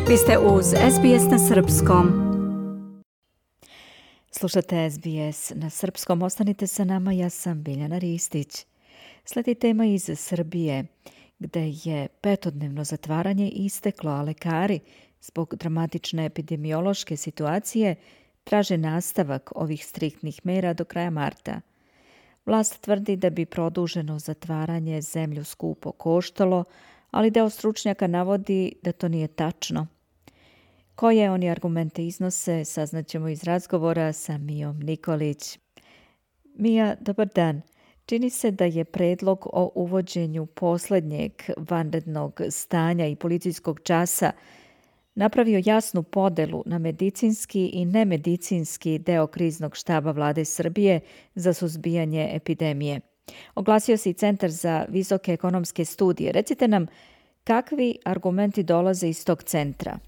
Vi ste uz SBS na Srpskom. Slušate SBS na Srpskom. Ostanite sa nama, ja sam Biljana Ristić. Sledi tema iz Srbije, gde je petodnevno zatvaranje isteklo, a lekari zbog dramatične epidemiološke situacije traže nastavak ovih striktnih mera do kraja marta. Vlast tvrdi da bi produženo zatvaranje zemlju skupo koštalo, ali deo stručnjaka navodi da to nije tačno. Koje oni argumente iznose, saznaćemo iz razgovora sa Mijom Nikolić. Mija, dobar dan. Čini se da je predlog o uvođenju poslednjeg vanrednog stanja i policijskog časa napravio jasnu podelu na medicinski i nemedicinski deo kriznog štaba Vlade Srbije za suzbijanje epidemije. Oglasio se i Centar za visoke ekonomske studije. Recite nam, kakvi argumenti dolaze iz tog centra?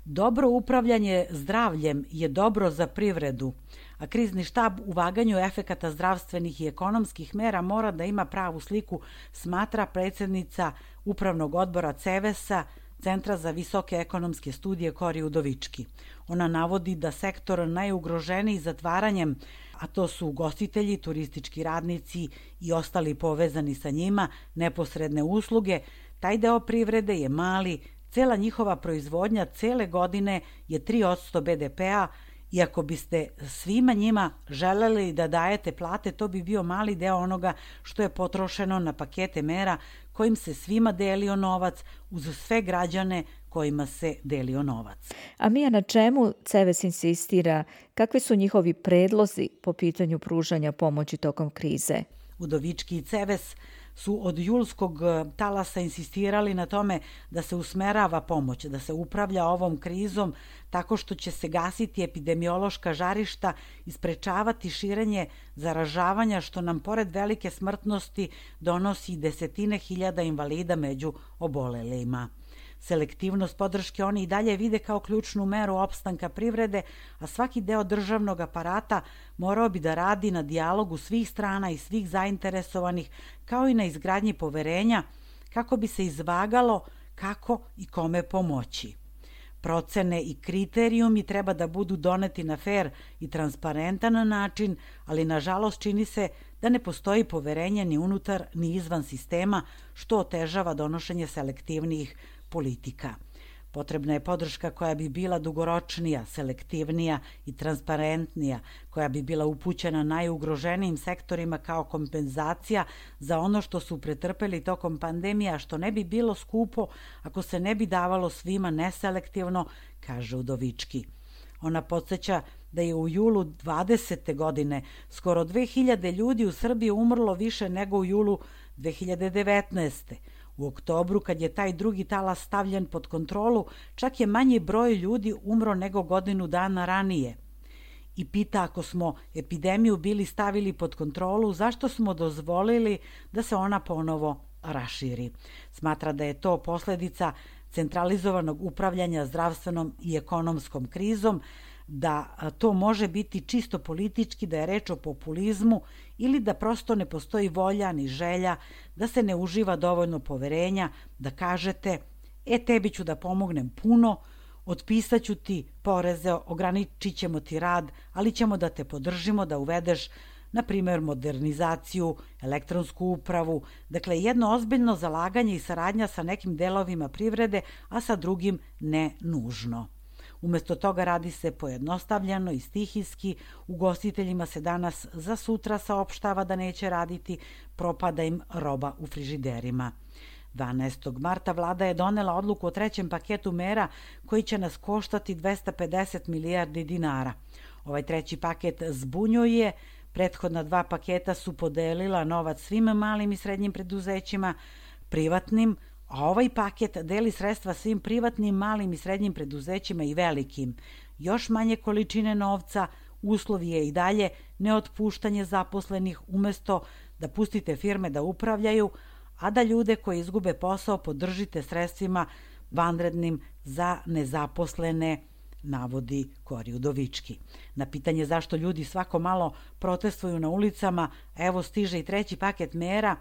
Dobro upravljanje zdravljem je dobro za privredu, a krizni štab u vaganju efekata zdravstvenih i ekonomskih mera mora da ima pravu sliku, smatra predsjednica Upravnog odbora CEVES-a, Centra za visoke ekonomske studije Kori Udovički. Ona navodi da sektor najugroženiji zatvaranjem, a to su ugostitelji, turistički radnici i ostali povezani sa njima, neposredne usluge, taj deo privrede je mali. Cela njihova proizvodnja cele godine je 3% BDP-a i ako biste svima njima želeli da dajete plate, to bi bio mali deo onoga što je potrošeno na pakete mera kojim se svima delio novac uz sve građane kojima se delio novac. A Mija, na čemu CEVES insistira? Kakvi su njihovi predlozi po pitanju pružanja pomoći tokom krize? Udovički i CEVES su od julskog talasa insistirali na tome da se usmerava pomoć, da se upravlja ovom krizom tako što će se gasiti epidemiološka žarišta i sprečavati širenje zaražavanja, što nam pored velike smrtnosti donosi desetine hiljada invalida među obolelima. Selektivnost podrške oni i dalje vide kao ključnu meru opstanka privrede, a svaki deo državnog aparata morao bi da radi na dijalogu svih strana i svih zainteresovanih, kao i na izgradnji poverenja, kako bi se izvagalo kako i kome pomoći. Procene i kriterijumi treba da budu doneti na fer i transparentan način, ali nažalost čini se da ne postoji poverenje ni unutar ni izvan sistema, što otežava donošenje selektivnijih politika. Potrebna je podrška koja bi bila dugoročnija, selektivnija i transparentnija, koja bi bila upućena najugroženijim sektorima kao kompenzacija za ono što su pretrpeli tokom pandemija, što ne bi bilo skupo ako se ne bi davalo svima neselektivno, kaže Udovički. Ona podsjeća da je u julu 20. godine skoro 2000 ljudi u Srbiji umrlo više nego u julu 2019. U oktobru, kad je taj drugi talas stavljen pod kontrolu, čak je manji broj ljudi umro nego godinu dana ranije. I pita, ako smo epidemiju bili stavili pod kontrolu, zašto smo dozvolili da se ona ponovo raširi? Smatra da je to posledica centralizovanog upravljanja zdravstvenom i ekonomskom krizom, da to može biti čisto politički, da je reč o populizmu ili da prosto ne postoji volja ni želja, da se ne uživa dovoljno poverenja, da kažete, tebi ću da pomognem puno, otpisaću ti poreze, ograničit ćemo ti rad, ali ćemo da te podržimo da uvedeš, na primjer, modernizaciju, elektronsku upravu, dakle jedno ozbiljno zalaganje i saradnja sa nekim delovima privrede, a sa drugim ne nužno. Umesto toga radi se pojednostavljeno i stihijski, ugostiteljima se danas za sutra saopštava da neće raditi, propada im roba u frižiderima. 12. marta vlada je donela odluku o trećem paketu mera koji će nas koštati 250 milijardi dinara. Ovaj treći paket zbunjuje, prethodna dva paketa su podelila novac svim malim i srednjim preduzećima, privatnim, a ovaj paket deli sredstva svim privatnim, malim i srednjim preduzećima i velikim. Još manje količine novca, uslov je i dalje neotpuštanje zaposlenih umesto da pustite firme da upravljaju, a da ljude koji izgube posao podržite sredstvima vanrednim za nezaposlene, navodi Kori Udovički. Na pitanje zašto ljudi svako malo protestuju na ulicama, evo stiže i treći paket mera,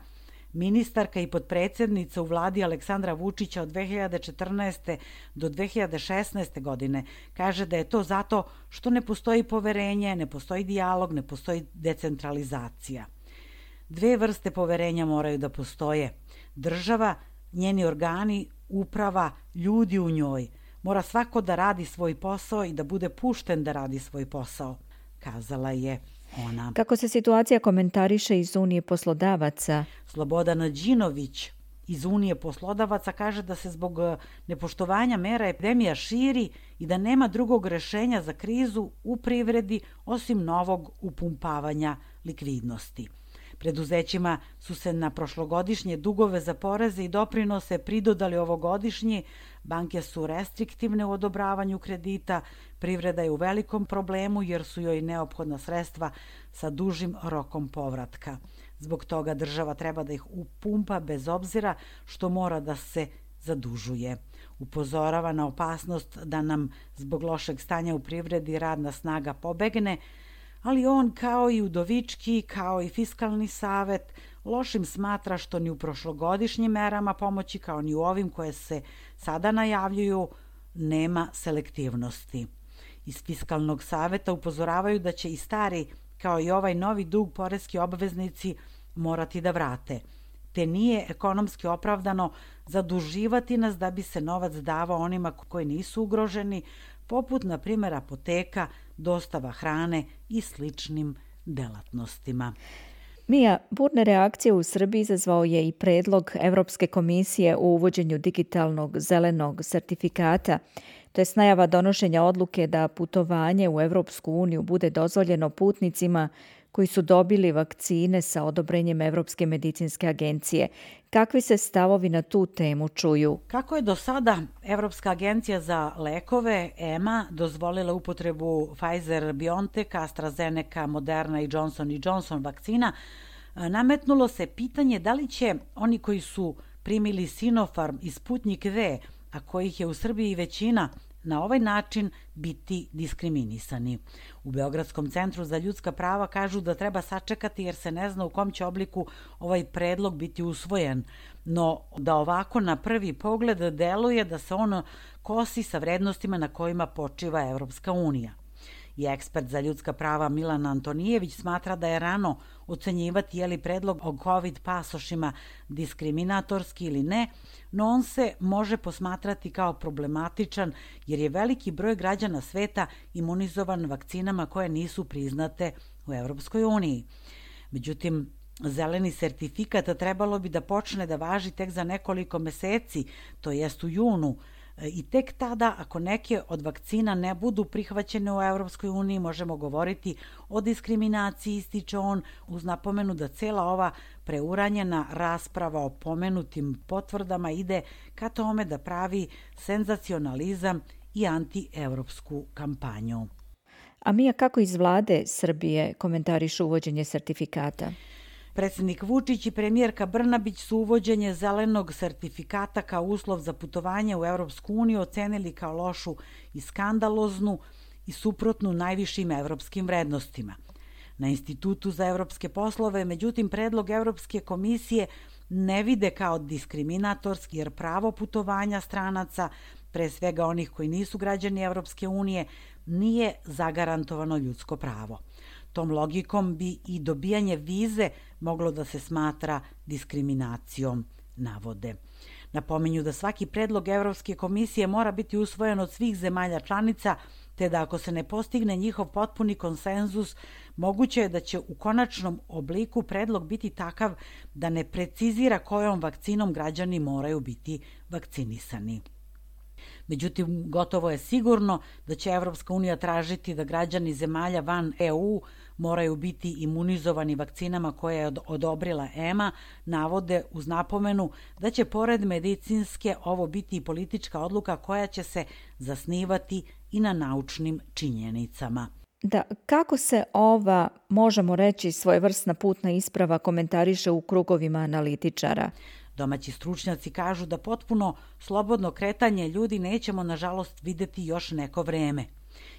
Ministarka i potpredsjednica u vladi Aleksandra Vučića od 2014. do 2016. godine kaže da je to zato što ne postoji poverenje, ne postoji dijalog, ne postoji decentralizacija. Dve vrste poverenja moraju da postoje. Država, njeni organi, uprava, ljudi u njoj. Mora svako da radi svoj posao i da bude pušten da radi svoj posao, kazala je ona. Kako se situacija komentariše iz Unije poslodavaca? Slobodana Đinović iz Unije poslodavaca kaže da se zbog nepoštovanja mera epidemija širi i da nema drugog rešenja za krizu u privredi osim novog upumpavanja likvidnosti. Preduzećima su se na prošlogodišnje dugove za poreze i doprinose pridodali ovogodišnji, banke su restriktivne u odobravanju kredita, privreda je u velikom problemu jer su joj neophodna sredstva sa dužim rokom povratka. Zbog toga država treba da ih upumpa bez obzira što mora da se zadužuje. Upozorava na opasnost da nam zbog lošeg stanja u privredi radna snaga pobegne, ali on, kao i Udovički, kao i Fiskalni savet, lošim smatra što ni u prošlogodišnjim merama pomoći, kao ni u ovim koje se sada najavljuju, nema selektivnosti. Iz Fiskalnog saveta upozoravaju da će i stari, kao i ovaj novi dug, poreski obveznici morati da vrate, te nije ekonomski opravdano zaduživati nas da bi se novac davao onima koji nisu ugroženi, poput, na primjer, apoteka, dostava hrane i sličnim delatnostima. Mija, burne reakcije u Srbiji izazvao je i predlog Evropske komisije o uvođenju digitalnog zelenog sertifikata, to je najava donošenja odluke da putovanje u Evropsku uniju bude dozvoljeno putnicima koji su dobili vakcine sa odobrenjem Evropske medicinske agencije. Kakvi se stavovi na tu temu čuju? Kako je do sada Evropska agencija za lekove, EMA, dozvolila upotrebu Pfizer-BioNTech, AstraZeneca, Moderna i Johnson & vakcina, nametnulo se pitanje da li će oni koji su primili Sinopharm i Sputnik V, a kojih je u Srbiji većina, na ovaj način biti diskriminisani. U Beogradskom centru za ljudska prava kažu da treba sačekati jer se ne zna u kom će obliku ovaj predlog biti usvojen, no da ovako na prvi pogled deluje da se on kosi sa vrednostima na kojima počiva Evropska unija. I ekspert za ljudska prava Milan Antonijević smatra da je rano ocenjivati je li predlog o COVID pasošima diskriminatorski ili ne, no on se može posmatrati kao problematičan jer je veliki broj građana sveta imunizovan vakcinama koje nisu priznate u Evropskoj uniji. Međutim, zeleni sertifikat trebalo bi da počne da važi tek za nekoliko meseci, to jest u junu, i tek tada, ako neke od vakcina ne budu prihvaćene u Evropskoj uniji, možemo govoriti o diskriminaciji, ističe on, uz napomenu da cela ova preuranjena rasprava o pomenutim potvrdama ide ka tome da pravi senzacionalizam i anti-evropsku kampanju. A Mija, kako iz vlade Srbije komentarišu uvođenje sertifikata? Predsjednik Vučić i premijerka Brnabić su uvođenje zelenog sertifikata kao uslov za putovanje u Evropsku uniju ocenili kao lošu i skandaloznu i suprotnu najvišim evropskim vrednostima. Na Institutu za evropske poslove, međutim, predlog Evropske komisije ne vide kao diskriminatorski jer pravo putovanja stranaca, pre svega onih koji nisu građani Evropske unije, nije zagarantovano ljudsko pravo. Tom logikom bi i dobijanje vize moglo da se smatra diskriminacijom, navode. Napominju da svaki predlog Evropske komisije mora biti usvojen od svih zemalja članica, te da ako se ne postigne njihov potpuni konsenzus, moguće je da će u konačnom obliku predlog biti takav da ne precizira kojom vakcinom građani moraju biti vakcinisani. Međutim, gotovo je sigurno da će Evropska unija tražiti da građani zemalja van EU moraju biti imunizovani vakcinama koje je odobrila EMA, navode uz napomenu da će pored medicinske ovo biti i politička odluka koja će se zasnivati i na naučnim činjenicama. Da, kako se ova, možemo reći, svojevrsna putna isprava komentariše u krugovima analitičara? Domaći stručnjaci kažu da potpuno slobodno kretanje ljudi nećemo, nažalost, videti još neko vreme.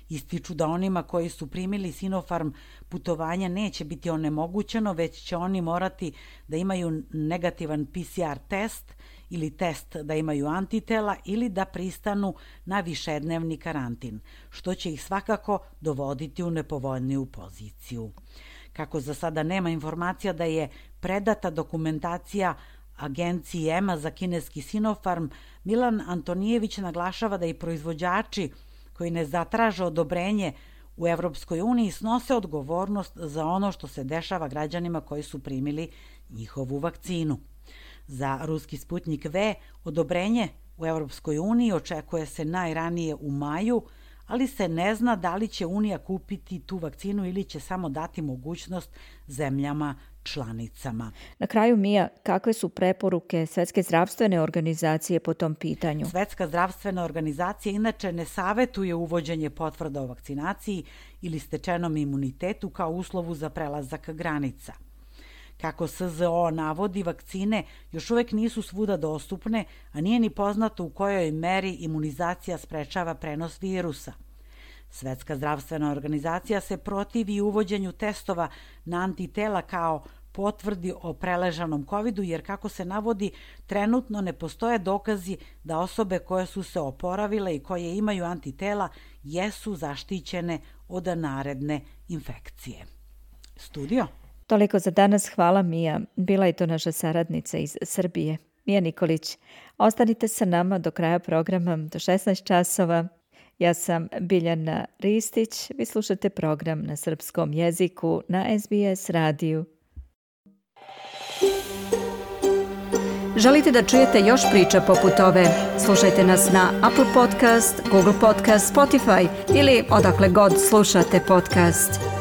Ističu da onima koji su primili Sinopharm putovanja neće biti onemogućeno, već će oni morati da imaju negativan PCR test ili test da imaju antitela ili da pristanu na višednevni karantin, što će ih svakako dovoditi u nepovoljniju poziciju. Kako za sada nema informacija da je predata dokumentacija agenciji EMA za kineski Sinopharm, Milan Antonijević naglašava da i proizvođači koji ne zatraže odobrenje u Evropskoj uniji snose odgovornost za ono što se dešava građanima koji su primili njihovu vakcinu. Za ruski Sputnik V odobrenje u Evropskoj uniji očekuje se najranije u maju, ali se ne zna da li će Unija kupiti tu vakcinu ili će samo dati mogućnost zemljama članicama. Na kraju, Mija, kakve su preporuke Svetske zdravstvene organizacije po tom pitanju? Svetska zdravstvena organizacija inače ne savetuje uvođenje potvrda o vakcinaciji ili stečenom imunitetu kao uslovu za prelazak granica. Kako SZO navodi, vakcine još uvek nisu svuda dostupne, a nije ni poznato u kojoj meri imunizacija sprečava prenos virusa. Svetska zdravstvena organizacija se protivi uvođenju testova na antitela kao potvrdi o preležanom covidu, jer kako se navodi, trenutno ne postoje dokazi da osobe koje su se oporavile i koje imaju antitela jesu zaštićene od naredne infekcije. Studio? Toliko za danas, hvala Mija. Bila je to naša saradnica iz Srbije, Mija Nikolić. Ostanite sa nama do kraja programa do 16 časova. Ja sam Biljana Ristić. Vi slušate program na srpskom jeziku na SBS radiju. Želite da čujete još priča poput ove? Slušajte nas na Apple Podcast, Google Podcast, Spotify ili odakle god slušate podcast.